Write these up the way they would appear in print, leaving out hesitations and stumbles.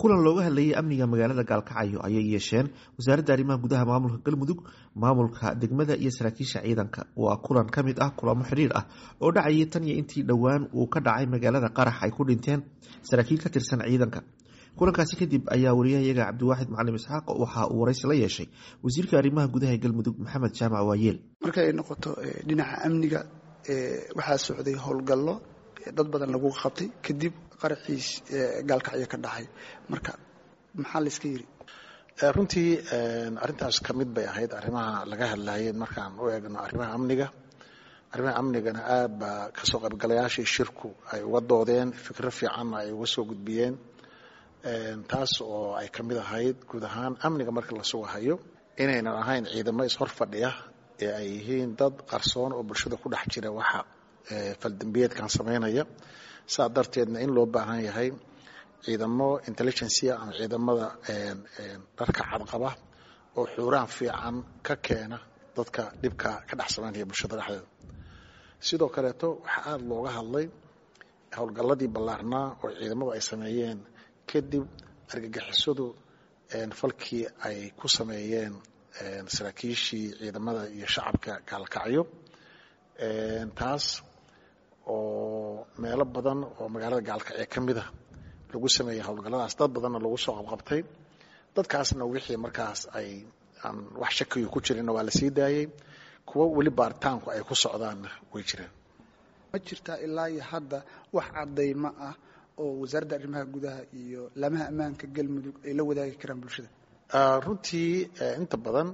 Kulan looga hadlayay amniga magaalada Gaalkacyo ayay yeesheen Wasaaradda Arrimaha Gudaha Maamulka Galmudug, maamulka degmada iyo saraakiisha ciidanka. Waa kulan ka mid ah kulamo xiriir ah oo dhacayay tan iyo intii dhowaan uu ka dhacay magaalada qarax ay ku dhinteen saraakiil ka tirsan ciidanka. Kulankaasi kadib ayaa wariyahayaga Cabdiwaaxid Macalin Isxaaq waxa uu waraysi la yeeshay wasiirka arrimaha gudaha ee Galmudug, Maxamed Jaamac Waayeel. Marka ay noqoto dhinaca amniga, waxaa socday howlgallo dad badan lagu qabtay kadib qaraxiis Gaalkacyo ka dhacay. Marka maxaa layska yiri? Runtii arrintaas ka mid bay ahayd arrimaha laga hadlayay. Markaan u eegno arrimaha amniga, arrimaha amnigana aad baa kasoo qaybgalayaashii shirku ay uga doodeen, fikro fiicanna ay uga soo gudbiyeen, taas oo ay ka mid ahayd guud ahaan amniga marka la sugahayo inaynan ahayn ciidamo ishor fadhiya ee ay yihiin dad qarsoon oo bulshada ku dhex jira waxa faldambiyeedkan samaynaya. Saa darteedna in loo baahan yahay ciidamo intelligencia ama ciidamada dharka cadqaba oo xuuraan fiican ka keena dadka dhibka ka dhex samaynaya bulshada dhexdeeda. Sidoo kaleeto waxaa aada looga hadlay howlgalladii ballaarnaa oo ciidamadu ay sameeyeen kadib argagixisadu falkii ay ku sameeyeen saraakiishii ciidamada iyo shacabka Gaalkacyo, taas oo meelo badan oo magaalada Gaalkacyo ka mid a lagu sameeyey howlgalladaas, dad badanna lagu soo qabqabtay. Dadkaasna wixii markaas ay aan wax shakiyu ku jirinna waa la sii daayey, kuwo weli baaritaanku ay ku socdaanna way jiraan. Ma jirtaa ilaa iyo hadda wax caddaymo ah oo Wasaaradda Arrimaha Gudaha iyo laamaha ammaanka Galmudug ay la wadaagi karaan bulshada? Runtii inta badan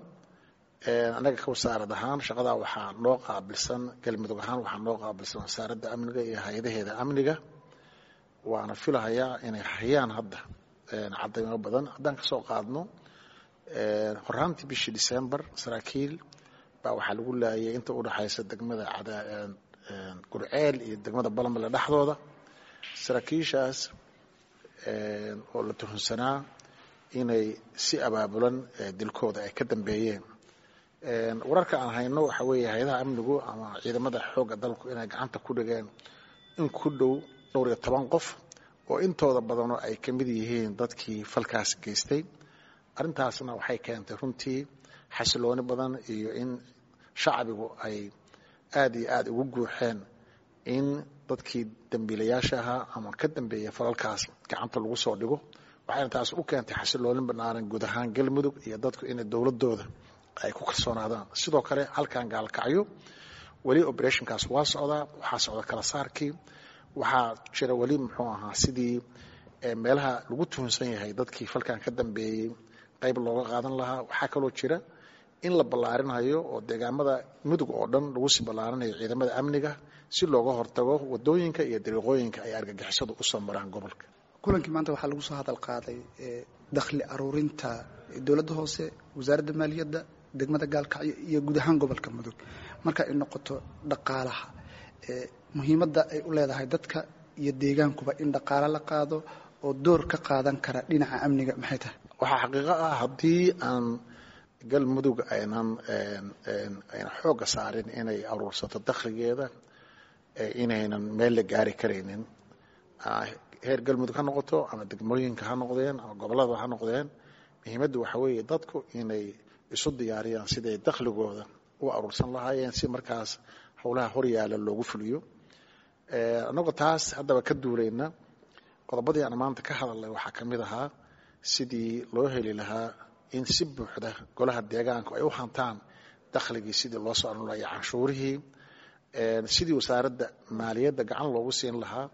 annaga ka wasaarad ahaan shaqadaa waxaa noo qaabilsan, Galmudug ahaan waxaa noo qaabilsan Wasaaradda Amniga iyo hay-adaheeda amniga, waana filahayaa inay hayaan hadda caddaymo badan. Haddaan ka soo qaadno horaantii bishii December, saraakiil baa waxaa lagu laayay inta u dhexaysa degmada Gurceel iyo degmada Balanbale dhexdooda, saraakiishaas oo la tuhunsanaa inay si abaabulan dilkooda ay ka dambeeyeen. Wararka aan hayno waxaa weeye hay-adaha amnigu ama ciidamada xoogga dalku inay gacanta ku dhigeen in ku dhow dhowr iyo toban qof oo intooda badanoo ay ka mid yihiin dadkii falkaas geystay. Arrintaasna waxay keentay runtii xasilooni badan iyo in shacbigu ay aada iyo aada ugu guuxeen in dadkii dambiilayaasha ahaa ama ka dambeeya falalkaas gacanta lagu soo dhigo. Waxayna taas u keentay xasiloolin banaaran guud ahaan Galmudug iyo dadku inay dowladooda ay ku kalsoonaadaan. Sidoo kale halkan Gaalkacyo weli operationkaas waa socdaa, waxaa socda kala saarkii, waxaa jira weli muxuu ahaa sidii meelaha lagu tuhunsan yahay dadkii falkan ka dambeeyey qayb looga qaadan lahaa. Waxaa kaloo jira in la ballaarinayo oo deegaamada Mudug oo dhan lagu sii ballaarinayo ciidamada amniga si looga hortago wadooyinka iyo dariiqooyinka ay argagixisadu usoo maraan gobolka. Kulankii maanta waxaa lagu soo hadal qaaday dakhli aruurinta dowladda hoose, Wasaaradda Maaliyadda, degmada Gaalkacyo iyo guud ahaan gobolka Mudug. Marka ay noqoto dhaqaalaha, muhiimadda ay u leedahay dadka iyo deegaankuba in dhaqaalo la qaado oo door ka qaadan kara dhinaca amniga, maxay tahay? Waxaa xaqiiqo ah haddii aan Galmudug aynan aynan xoogga saarin inay aruursato dakhligeeda inaynan meel la gaari karaynin, heer Galmudug ha noqoto ama degmooyinka ha noqdeen ama gobollada ha noqdeen. Muhiimaddu waxaa weeye dadku inay isu diyaariyaan siday dakhligooda u aruursan lahaayeen si markaas howlaha horyaala loogu fuliyo. Annagoo taas haddaba ka duulayna, qodobadii aan maanta ka hadalnay waxaa ka mid ahaa sidii loo heli lahaa in si buuxda golaha deegaanku ay u hantaan dakhligii, sidii loo soo aruurin lahaa iyo canshuurihii, sidii Wasaaradda Maaliyadda gacan loogu siin lahaa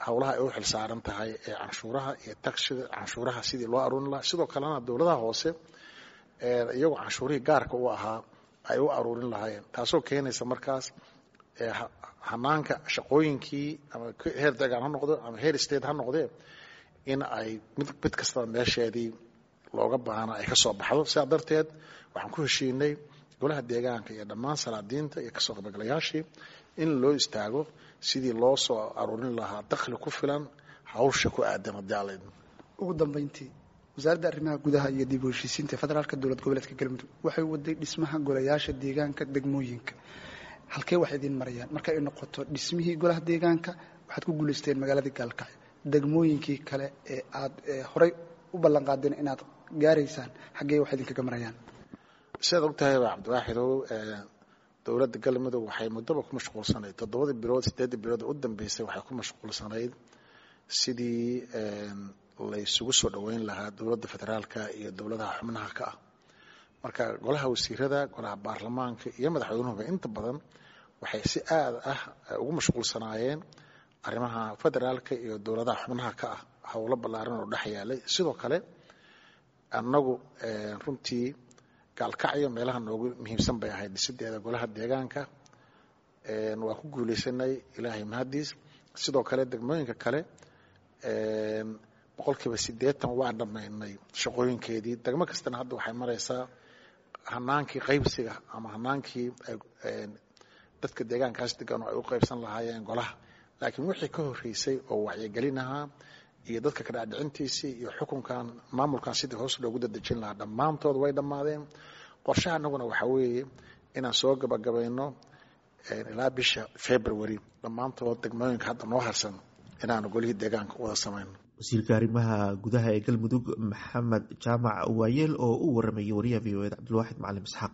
howlaha ay u xilsaaran tahay ee canshuuraha iyo tagshiga canshuuraha sidii loo aruurin lahaa. Sidoo kalena dowladaha hoose iyagoo canshuurihii gaarka u ahaa ay u aruurin lahaayeen, taasoo keenaysa markaas hanaanka shaqooyinkii ama heer deegaan ha noqdo ama heer state ha noqdee in ay mid kastaba meesheedii looga baahna ay ka soo baxdo. Sidaa darteed waxaan ku heshiinay golaha deegaanka iyo dhammaan salaadiinta iyo kasoo qaybgalayaashii in loo istaago sidii loo soo aruurin lahaa dakhli ku filan hawsha ku aadan haddii alla idmo. Ugu dambeyntii, Wasaaradda Arrimaha Gudaha iyo dib u heshiisiinta federaalka dowlad goboleedka Galmudug waxay waday dhismaha golayaasha deegaanka degmooyinka. Halkee wax idiin marayaan marka ay noqoto dhismihii golaha deegaanka? Waxaad ku guulaysteen magaaladii Gaalkacyo. Degmooyinkii kale ee aad horey u ballan qaadeen inaad gaaraysaan, xaggee wax idinkaga marayaan? Sidaad og tahayba, Cabdiwaaxidow, dowladda Galmudug waxay muddoba ku mashquulsanayd, 7dii bilood, 8dii bilood u dambeysay, waxay ku mashquulsanayd sidii laysugu soo dhoweyn lahaa dowladda federaalka iyo dowladaha xubnaha ka ah. Marka golaha wasiirada, golaha baarlamaanka iyo madaxweynuhuba inta badan waxay si aad ah ugu mashquulsanaayeen arrimaha federaalka iyo dowladaha xubnaha ka ah, howlo ballaaran oo dhex yaalay. Sidoo kale annagu runtii Gaalkacyo meelaha noogu muhiimsan bay ahayd dhisideeda golaha deegaanka. Waa ku guuleysanay, Ilaahay mahadiis. Sidoo kale degmooyinka kale 80% waa dhammaynay shaqooyinkeedii. Degmo kastana hadda waxay maraysaa hanaankii qaybsiga ama hanaankii dadka deegaankaas degan oo ay u qaybsan lahaayeen golaha. Laakiin wixii ka horreysay oo wacyigelin ahaa iyo dadka kadhacdhicintiisii iyo xukunkan, maamulkan sidii hoos loogu dadejin lahaa, dhammaantood way dhammaadeen. Qorshaha anaguna waxaa weeye inaan soo gabagabayno ilaa bisha February dhammaantood degmooyinka hadda noo harsan inaanu golihii deegaanka wada samayno. Wasiirka arrimaha gudaha ee Galmudug, Maxamed Jaamac Waayeel, oo u waramayay wariyaha VOA da, Cabdulwaaxid Macalim Isxaaq.